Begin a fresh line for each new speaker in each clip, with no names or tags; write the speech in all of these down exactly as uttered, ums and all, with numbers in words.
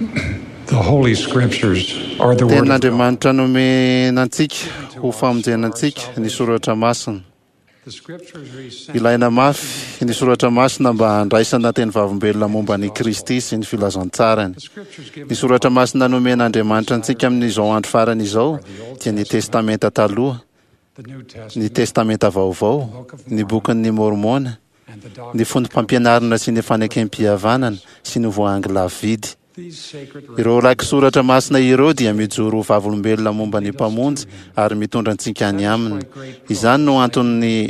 The Holy Scriptures are the Word of God.
Tenin'Andriamanitra nomena antsika ho famonjena antsika ny Soratra Masina.
The Scriptures are essential
Ilaina mafy ny Soratra Masina mba handraisana teny vavolombelona momba an'i Kristy sy ny filazantsarany.
The Scriptures give
Ny Soratra Masina nomen'Andriamanitra antsika amin'izao andro farany izao dia ny Testamenta Taloha,
the New
ny
Testament
Testamenta Vaovao, ny Bokin'ny Môrmôna,
and the
ny
Doctrine.
Fondrom-pampianarana sy ny Fanekem-pihavanana sy ny Voahangy Lafo-vidy.
These sacred
Ireo raki-soratra masina ireo dia mijoro ho vavolombelona momba ny Mpamonjy ary mitondra antsika any aminy. Izany no antony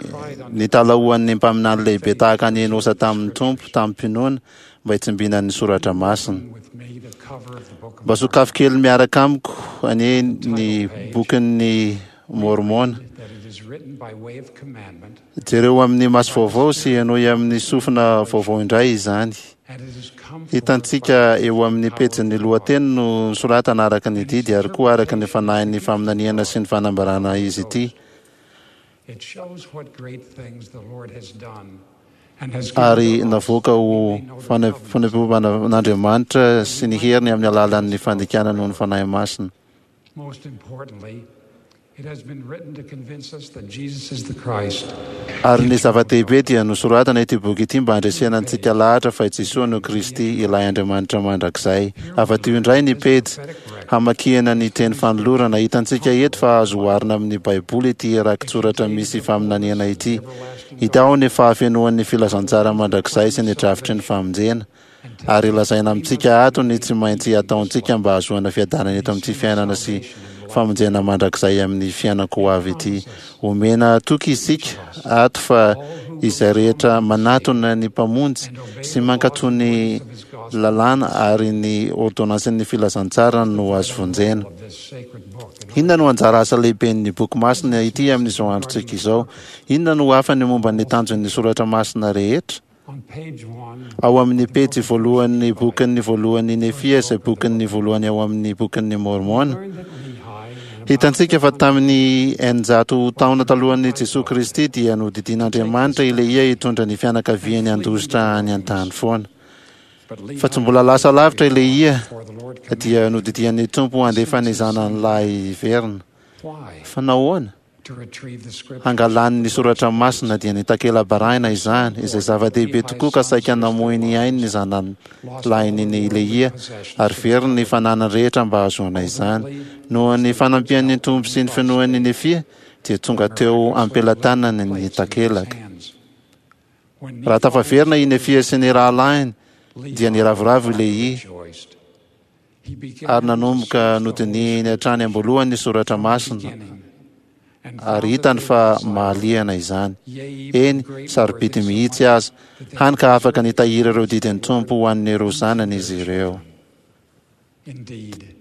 nitalahoan'ny mpaminany lehibe tahaka an'i Enosa tamin'ny Tompo tamim-pinoana mba hitsimbinany ny soratra masina.
with me the cover of the Book of
Mba sokafy kely miaraka amiko anie ny bokin'ny Môrmôna.
that it is written by way of commandment
Jereo amin'ny maso vaovao sy henoy amin'ny sofina vaovao indray izany.
and it is come forth
Hitantsika eo amin'ny pejin'ny lohateny no soratana araka ny didy ary koa araka ny fanahin'ny faminaniana sy ny fanambarana izy ity.
It shows what great things the Lord has done and has given
Ary
to us
navoaka ho
that we may know the covenants
fanepoan'Andriamanitra sy ny heriny amin'ny alalan'ny fandikana noho ny Fanahy Masina.
Most importantly, it has been written to convince us that Jesus is the Christ,
Ary ny zava-dehibe dia nosoratana ity boky ity mba handresena antsika lahatra fa i Jesoa no Kristy ilay Andriamanitra mandrakizay. Afa-tio indray ny pejy hamakiana ny teny fanolorana. Hitantsika eto fa azo oharina amin'ny Baiboly ity raki-tsoratra misy faminaniana ity. Hita ao ny fahafenoan'ny filazantsara mandrakizay sy ny drafitry ny famonjena. Ary lazaina amintsika ato ny tsy maintsy ataontsika mba hahazoana fiadanana eto amin'ity fiainana sy famonjena mandrakizay amin'ny fiainako ho avy ity. Omena toky isika ato fa izay rehetra manatona ny Mpamonjy sy mankatò ny lalàna ary ny ordonansin'ny filazantsara no azo vonjena.
of this sacred book.
Inona no anjara asa lehiben'ny boky masina ity amin'izao androntsika izao? Inona no hafany momba ny tanjon'ny soratra masina rehetra?
On page one,
Ao amin'ny pejy voalohan'ny bokin'ny voalohan'ny Nefia izay bokin'ny voalohany ao amin'ny bokin'ny Môrmôna.
learn that Lehi and
Hitantsika fa tamin'ny eninjato taona talohan'i Jesoa Kristy dia nodidian'Andriamanitra i Lehia hitondra ny fianakaviany handositra any an-tany foana.
but Lehi
Fa tsy mbola lasa lavitra i Lehia
before the Lord commanded.
dia nodidian'ny Tompo handefa ny zanany lahy hiverina.
Why?
Fa nahoana?
To retrieve the scriptures.
Hangalany ny soratra masina dia ny takela-barahina izany, izay zava-dehibe tokoa ka saika namoy ny ainy ny zanany lahiny ny Lehia ary very ny fananany rehetra mba hahazoana izany. Noho ny fanampian'ny Tompo sy ny finoan'ny Nefia dia tonga teo am-pelatanany ny takelaka.
Hands. When
Raha tafaverina i Nefia sy ny rahalahiny
Lehi
dia niravoravo i Lehia
rejoiced. He began
ary nanomboka
to search the Holy
nodinihiny hatrany am-boalohany ny soratra masina
beginning and
ary
found that
hitany
they
fa
were disciples,
mahaliana izany.
yea, even
Eny,
great
sarobidy
worth
mihitsy
insomuch
aza,
that they
hany ka afaka
preserved
nitahiry ireo didin'ny Tompo ho an'ireo zanany izy ireo.
Indeed,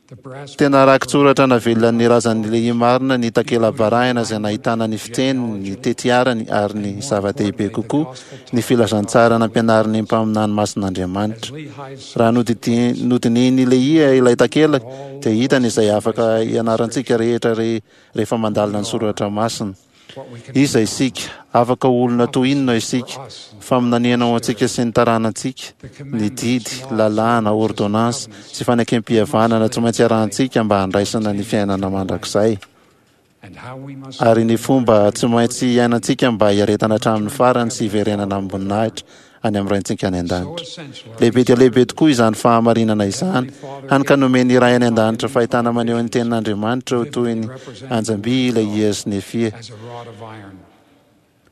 the brass
Tena raki-tsoratra navelan'ny razan'ny Lehia marina ny takela-barahina izay nahitana ny fiteny, ny tetiarany ary ny zava-dehibe kokoa ny filazantsara nampianarin'ny mpaminany masin'Andriamanitra.
as Lehi's
Raha nodidi- nodinihin'i Lehia ilay takelaka dia hitany izay afaka ianarantsika rehetra re- rehefa mandalina ny soratra masina.
what we can
Iza isika? Afaka ho olona toy inona isika? Faminaniana ho antsika sy ny taranantsika, ny didy, lalàna, ordonnance sy fanekem-pihavanana tsy maintsy arahantsika mba handraisana ny fiainana mandrakizay.
and how we must
Ary ny fomba tsy maintsy iainantsika mba hiaretana hatramin'ny farany sy hiverenana amim-boninahitra any amin'ny Raintsika any
so
an-danitra.
essential are
Lehibe dia lehibe tokoa izany fahamarinana izany, hany ka nomen'ny Ray any an-danitra fahitana maneho ny tenin'Andriamanitra ho toy ny anjam-by i Lehia sy Nefia.
as a rod of iron.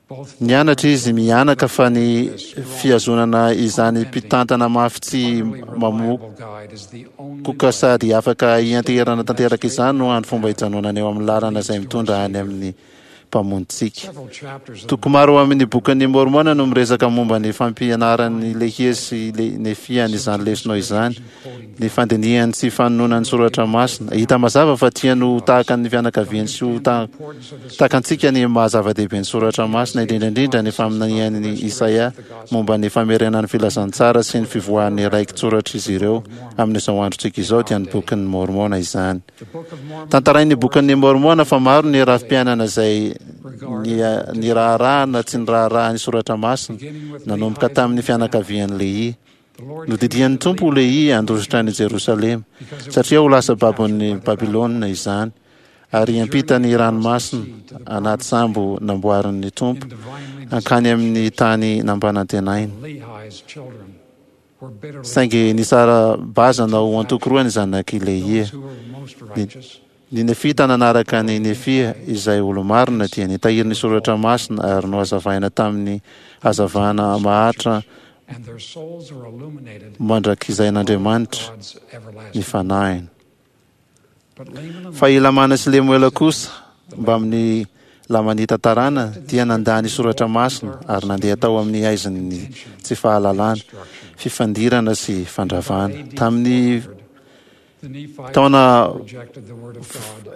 Both
Nianatra izy mianaka fa ny fihazonana izany mpitantana mafy tsy
reliable guide is the only
mamokoka sady afaka hianteherana tanteraka izany no hany fomba hijanonana eo amin'ny lalana izay mitondra any amin'ny Mpamonjitsika.
several chapters of
Toko maro amin'ny bokin'ny Môrmôna no miresaka momba ny fampianaran'ny Lehia sy Le- Nefia an'izany lesona izany, ny fandinihany sy fanononany soratra masina. Hita mazava fa tiany ho tahaka ny fianakaviany sy ho ta-
importance of the
tahaka antsika ny maha-zava-dehibe ny soratra masina, indrindra indrindra ny faminanian'i Isaia momba ny famerenana ny filazantsara sy ny fivoahan'ny raki-tsoratr'izy ireo amin'izao androntsika izao dia ny bokin'ny Môrmôna izany.
The Book of Mormon
Tantarain'ny bokin'ny Môrmôna fa maro ny rafi-piainana izay ny, ny raharahana tsy ny raharaha ny soratra masina nanomboka tamin'ny fianakavian'i Lehia. Nodidian'ny Tompo Lehia handositra any Jerosalema satria ho lasa babon'ny Babylona izany, ary hiampita ny ranomasina anaty sambo namboarin'ny Tompo hankany amin'ny tany nampanantenaina. Saingy nisara-bazana ho antoko roa ny zanak'i Lehia. Ny, ny Nefita nanaraka ny Nefia izay olo-marina dia nitahiry ny soratra masina ary nohazavaina tamin'ny hazavana maharitra mandrakizain'Andriamanitra ny fanahiny. Fa i Lamana sy Lemoela kosa mbamin'ny Lamanita tarana dia nandà ny soratra masina ary nandeha tao amin'ny haizin'ny tsy fahalalana, fifandirana sy fandravana. Tamin'ny taona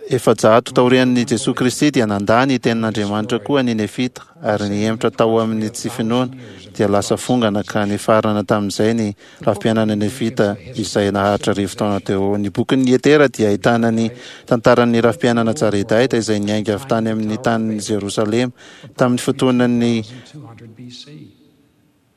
efajato taorian'i Jesoa Kristy dia nandà ny tenin'Andriamanitra koa ny Nefita ary nihemotra tao amin'ny tsy finoana dia lasa fongana ka nifarana tamin'izay ny rafi-piainana Nefita izay naharitra arivo taona teo. Ny bokin'ny Etera dia ahitana ny tantaran'ny rafi-piainana Jaredaita izay niainga avy tany amin'ny tanin'i Jerosalema tamin'ny fotoanan'ny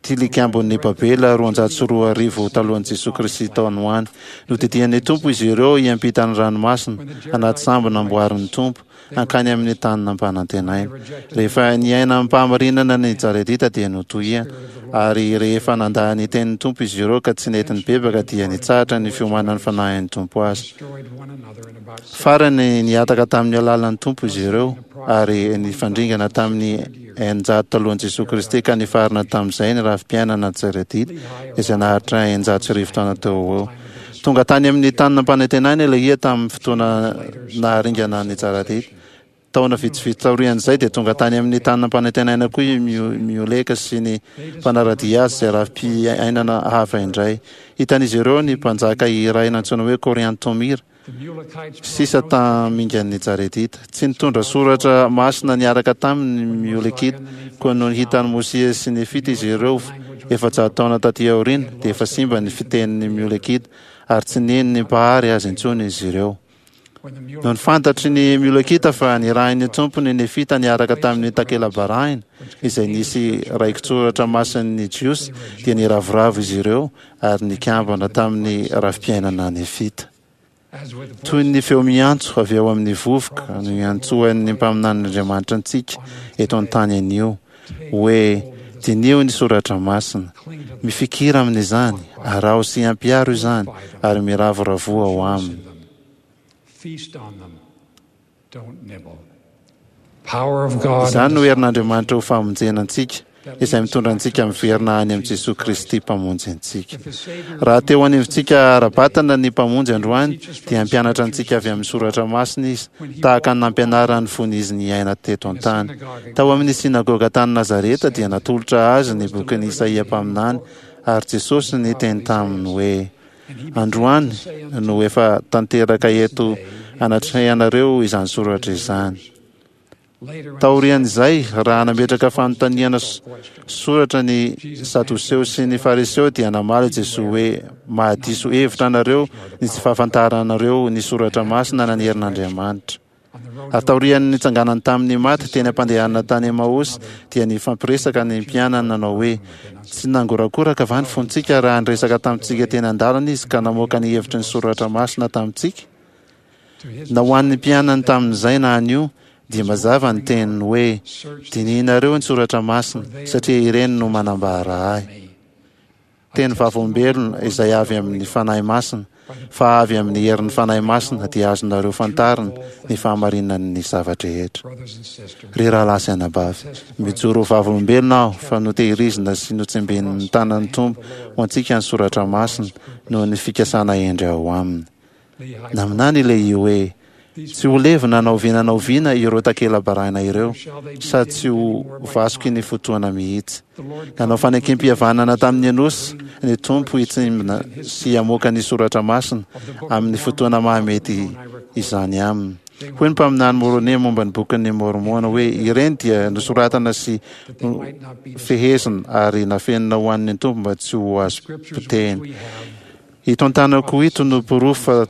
tilikambon'ny Babela roanjato sy roa arivo talohan'i Jesoa Kristy tao ho any. Nodidian'ny Tompo izy ireo hiampita ny ranomasina anaty sambo namboarin'ny Tompo hankany amin'ny tany nampanantenaina. Rehefa niaina amim-pahamarinana ny Jaredita dia notohiana, ary rehefa nandà ny tenin'ny Tompo izy ireo ka tsy nety nibebaka dia nitsahatra ny fiomanan'ny fanahin'ny Tompo azy. Farany nihataka tamin'ny alalan'ny Tompo izy ireo ary nifandringana tamin'ny eninjato talohan'i Jesoa Kristy ka nifarana tamin'izay ny rafi-piainana Jaredita izay naharitra eninjato sy arivo taona teo ho eo. Tonga tany amin'ny tany nampanantenaina Lehia tamin'ny fotoana naharingana ny Jaredita. Taona vitsivitsy taorian'izay dia tonga tany amin'ny tany nampanantenaina koa i Mioleka sy ny mpanara-dia azy izay rafi-piainana hafa indray. Hitan'izy ireo ny mpanjaka iray nantsoina hoe Koriantomira sisa tamingan'ny Jaredita. Tsy nitondra soratra masina niaraka taminy ny Miolekita, koa nony hitan'i Mosia sy Nefita izy ireo efajato taona taty aoriana dia efa simba ny fitenin'ny Miolekita ary tsy nino ny Mpahary azy intsony izy ireo. Nony fantatry ny Miolekita fa nirahin'ny Tompo ny Nefita niaraka tamin'ny takela-barahina izay nisy raiki-tsoratra masin'ny Jiosy dia niravoravo izy ireo ary nikambana tamin'ny rafi-piainana Nefita. Toy ny feo miantso avy ao amin'ny vovoka no iantsoan'ny mpaminanin'Andriamanitra antsika eto an-tany anio hoe diniho ny soratra masina, mifikira amin'izany, araho sy ampiaro izany ary miravoravoa ao aminy. Izany no herin'Andriamanitra ho famonjena antsika izay mitondra antsika miverina any amin'i Jesoa Kristy Mpamonjy antsika. Raha teo anivontsika ara-batana ny Mpamonjy androany dia hampianatra antsika avy amin'ny soratra masina Izy, tahaka ny nampianarany fony Izy niaina teto an-tany. Tao amin'ny synagoga tany Nazareta dia natolotra Azy ny bokin'i Isaia mpaminany ary Jesosy niteny taminy hoe: Androany no efa tanteraka eto anatrehanareo izany soratra izany. Taorian'izay, raha nametraka fanontaniana soratra ny Sadoseo sy ny Fariseo dia namaly Jesoa hoe: mahadiso hevitra anareo ny tsy fahafantaranareo ny soratra masina na ny herin'Andriamanitra. Ary taorian'ny nitsanganany tamin'ny maty teny am-pandehanana tany Emaosy dia nifampiresaka ny mpianany nanao hoe: tsy nangorakoraka va ny fontsika raha niresaka tamintsika teny an-dalana Izy ka namoaka ny hevitry ny soratra masina tamintsika? Na ho an'ny mpianany tamin'izay na anio dia mazava ny teniny hoe: dinihinareo ny soratra masina satria ireny no manambara ahy. Teny vavolombelona izay avy amin'ny Fanahy Masina, fa avy amin'ny herin'ny Fanahy Masina dia azonareo fantarina ny fahamarinan'ny zava-drehetra. Ry rahalahy sy anabavy, mijoro ho vavolombelona aho fa notehirizina sy notsimbinin'ny tanan'ny Tompo ho antsika ny soratra masina noho ny fikasana hendry ao aminy. Naminany ilay hoe tsy ho levona na oviana na oviana ireo takela-barahina ireo sady tsy ho vasoky ny fotoana mihitsy. Nanao fanekem-pihavanana tamin'ny Enosy ny Tompo hitsimbina sy hamoaka ny soratra masina amin'ny fotoana mahamety izany aminy. Hoy ny mpaminany Môrônia momba ny bokin'ny Môrmôna hoe ireny dia nosoratana sy fehezina ary nafenina ho an'ny Tompo mba tsy ho azo potehina. Ito an-tanako ito no porofo fa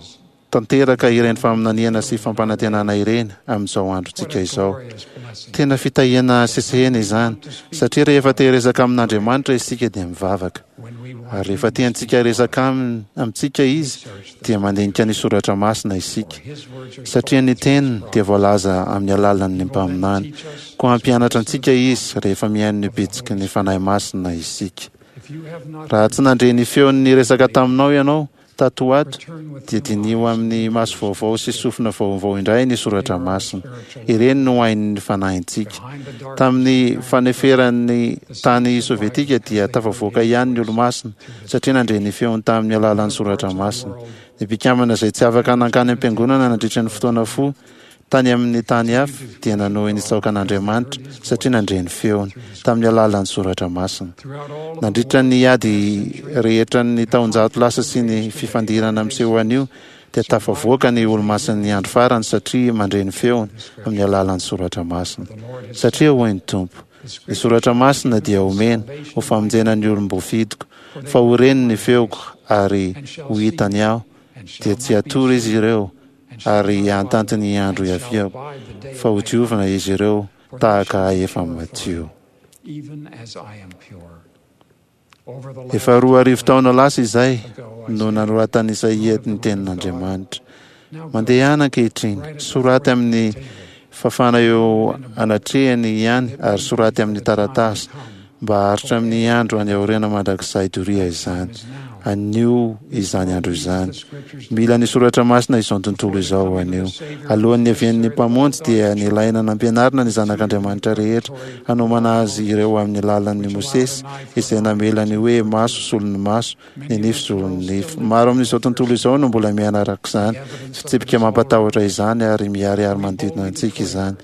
tanteraka ireny faminaniana sy fampanantenana ireny amin'izao androntsika izao. Tena fitahiana sesehena izany, satria rehefa te hiresaka amin'Andriamanitra isika dia mivavaka. Ary rehefa tiantsika hiresaka amintsika Izy dia mandinika ny soratra masina isika, satria ny teniny dia voalaza amin'ny alalan'ny mpaminany. Koa hampianatra antsika Izy rehefa mihaino ny bitsiky ny Fanahy Masina isika. Raha tsy nandre ny feony niresaka taminao ianao tato ho ato, dia diniho amin'ny maso vaovao sy sofina vaovao indray ny soratra masina. Ireny no hain'ny fanahintsika. Tamin'ny faneferan'ny tany sovietika dia tafavoaka ihany ny olo-masina, satria nandre ny feony tamin'ny alalan'ny soratra masina. Ny mpikambana izay tsy afaka nankany am-piangonana nandritra ny fotoana fohy tany amin'ny tany hafa dia nanohy nitsaoka an'Andriamanitra satria nandre ny feony tamin'ny alalan'ny soratra masina. Nandritra ny ady rehetra ny taonjato lasa sy ny fifandirana miseho anio dia tafavoaka ny olo-masin'ny andro farany satria mandre ny feony amin'ny alalan'ny soratra masina. Satria hoy ny Tompo, ny soratra masina dia omena ho famonjena ny olom-boafidiko, fa ho reny ny feoko ary ho hitany aho, dia tsy hatory izy ireo ary hahantanty ny andro hiaviako, fa ho diovina izy ireo tahaka ahy efa madio. Efa roa arivo taona lasa izay no nanoratan'i Isaia ny tenin'Andriamanitra. Mandehana ankehitriny, soraty amin'ny fafana eo anatrehany ihany ary soraty amin'ny taratasy mba haharitra amin'ny andro any aoriana mandrakizay doria izany. Anio izany andro izany. Mila ny soratra masina izao tontolo izao anio. Alohan'ny niavian'ny Mpamonjy dia nilaina nampianarina ny zanak'Andriamanitra rehetra hanomana azy ireo amin'ny lalan'ny Mosesy izay namela ny hoe maso solon'ny maso, ny nify solon'ny nify. Maro amin'izao tontolo izao no mbola miaina araka izany fitsipika mampatahotra izany ary miharihary manodidina antsika izany.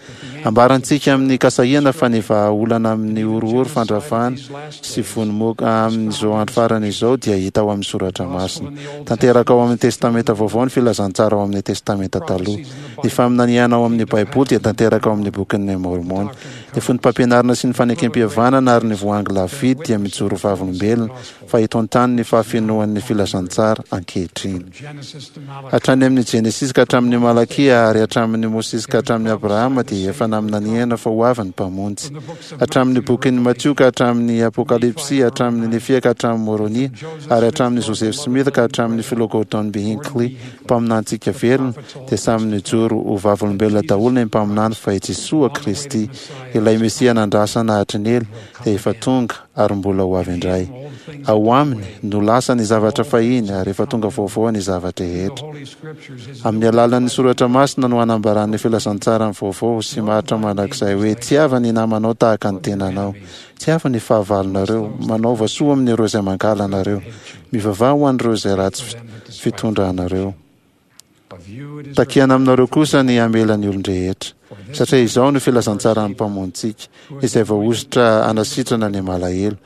Ambarantsika amin'ny kasahiana fa ny vahaolana amin'ny horohoro fandravana sy vonomoka amin'izao andro farany izao dia hita ao amin'ny soratra masina. Tanteraka ao amin'ny Testamenta Vaovao ny filazantsara ao amin'ny Testamenta Taloha. Ny faminaniana ao amin'ny Baiboly dia tanteraka ao amin'ny bokin'ny Môrmôna. Ny foto-pampianarana sy ny fanekem-pihavanana ary ny voahangy lafo vidy dia mijoro vavolombelona fa eto an-tany ny fahafenoan'ny filazantsara ankehitriny. Hatrany amin'ny Genesisy ka hatramin'ny Malakia ary hatramin'ny Mosesy ka hatramin'ny Abrahama dia efa naminaniana fa ho avy ny Mpamonjy. Hatramin'ny bokin'ny Matio ka hatramin'ny Apokalypsy, hatramin'ny Nefia ka hatramin'ny Moronia ary hatramin'ny Joseph Smith ka hatramin'ny filoha Gordon B. Hinckley, mpaminantsika velona, dia samy nijoro ho vavolombelona daholo ny mpaminany fa i Jesoa Kristy, ilay Mesia nandrasana hatry ny ela, dia efa tonga ary mbola ho avy indray. Ao aminy no lasa ny zavatra fahiny ary efa tonga vaovao ny zava-drehetra. Amin'ny alalan'ny soratra masina no anambaran'ny filazantsara ny vaovao sy maharitra mandrakizay hoe tiava ny namanao tahaka ny tenanao, tiava ny fahavalonareo, manaova soa amin'ireo izay mankahala anareo, mivavaha ho an'ireo izay ratsy fitondra anareo. Takiana aminareo kosa ny hamela ny olon-drehetra, satria izao no filazantsaran'ny Mpamonjintsika, izay voahosotra hanasitrana ny malahelo,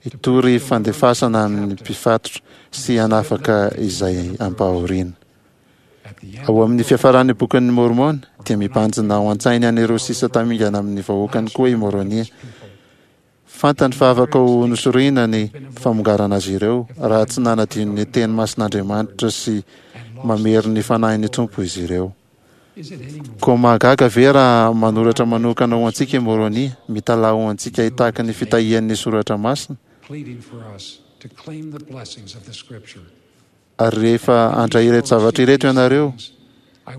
hitory fandefasana amin'ny mpifatotra sy hanafaka izay ampahoriana. Ao amin'ny fiafaran'ny bokin'ny Môrmôna dia mibanjina ao an-tsainy an'ireo sisa tamingana amin'ny vahoakany koa i Môrônia. Fantany fa afaka ho nosorina ny famongarana azy ireo raha tsy nanadino ny teny masin'Andriamanitra sy mamery ny fanahin'ny Tompo izy ireo. Koa mahagaga ve raha manoratra manokana ho antsika i Môrônia, mitalaho ho antsika hitaky ny fitahian'ny soratra masina? Ary rehefa handray ireto zavatra ireto ianareo,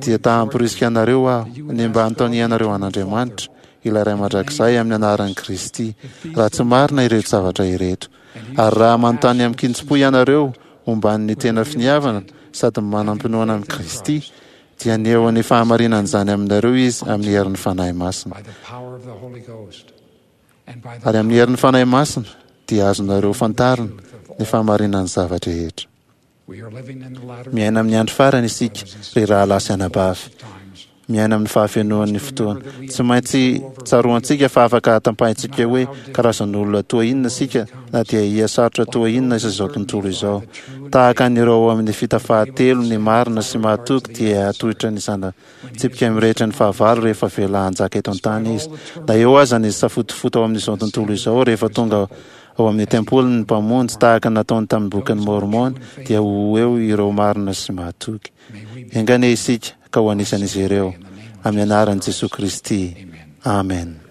dia ta hamporisika anareo aho ny mba hanontanianareo an'Andriamanitra, ilay Ray Mandrakizay, amin'ny anaran'i Kristy, raha tsy marina ireto zavatra ireto. Ary raha manontany amin-kitsim-po ianareo momban'ny tena finiavana sady manam-pinoana amin'i Kristy, dia haneho ny fahamarinan'izany aminareo Izy amin'ny herin'ny Fanahy Masina. Ary amin'ny herin'ny Fanahy Masina dia azonareo fantarina ny fahamarinan'ny zava-drehetra. Miaina amin'ny andro farany isika, ry rahalahy sy anabavy. Miaina amin'ny fahafenoan'ny fotoana. Tsy maintsy tsaroantsika fa afaka tapahintsika hoe karazan'olona toa inona isika na dia hihasarotra toa inona aza izao tontolo izao. Tahaka an'ireo ao amin'ny fita fahatelo ny marina sy mahatoky dia hatohitra ny zana tsipika mirehitra ny fahavalo rehefa avela hanjaka eto an-tany izy. Na eo aza ny safotofoto ao amin'izao tontolo izao, rehefa tonga Ao amin'ny tempolin'ny Mpamonjy, tahaka ny nataony tamin'ny Bokin'i Môrmôna, dia ho eo ireo marina sy mahatoky. Enga anie isika ka ho anisan'izy ireo. Amin'ny anaran'i Jesoa Kristy. Amen.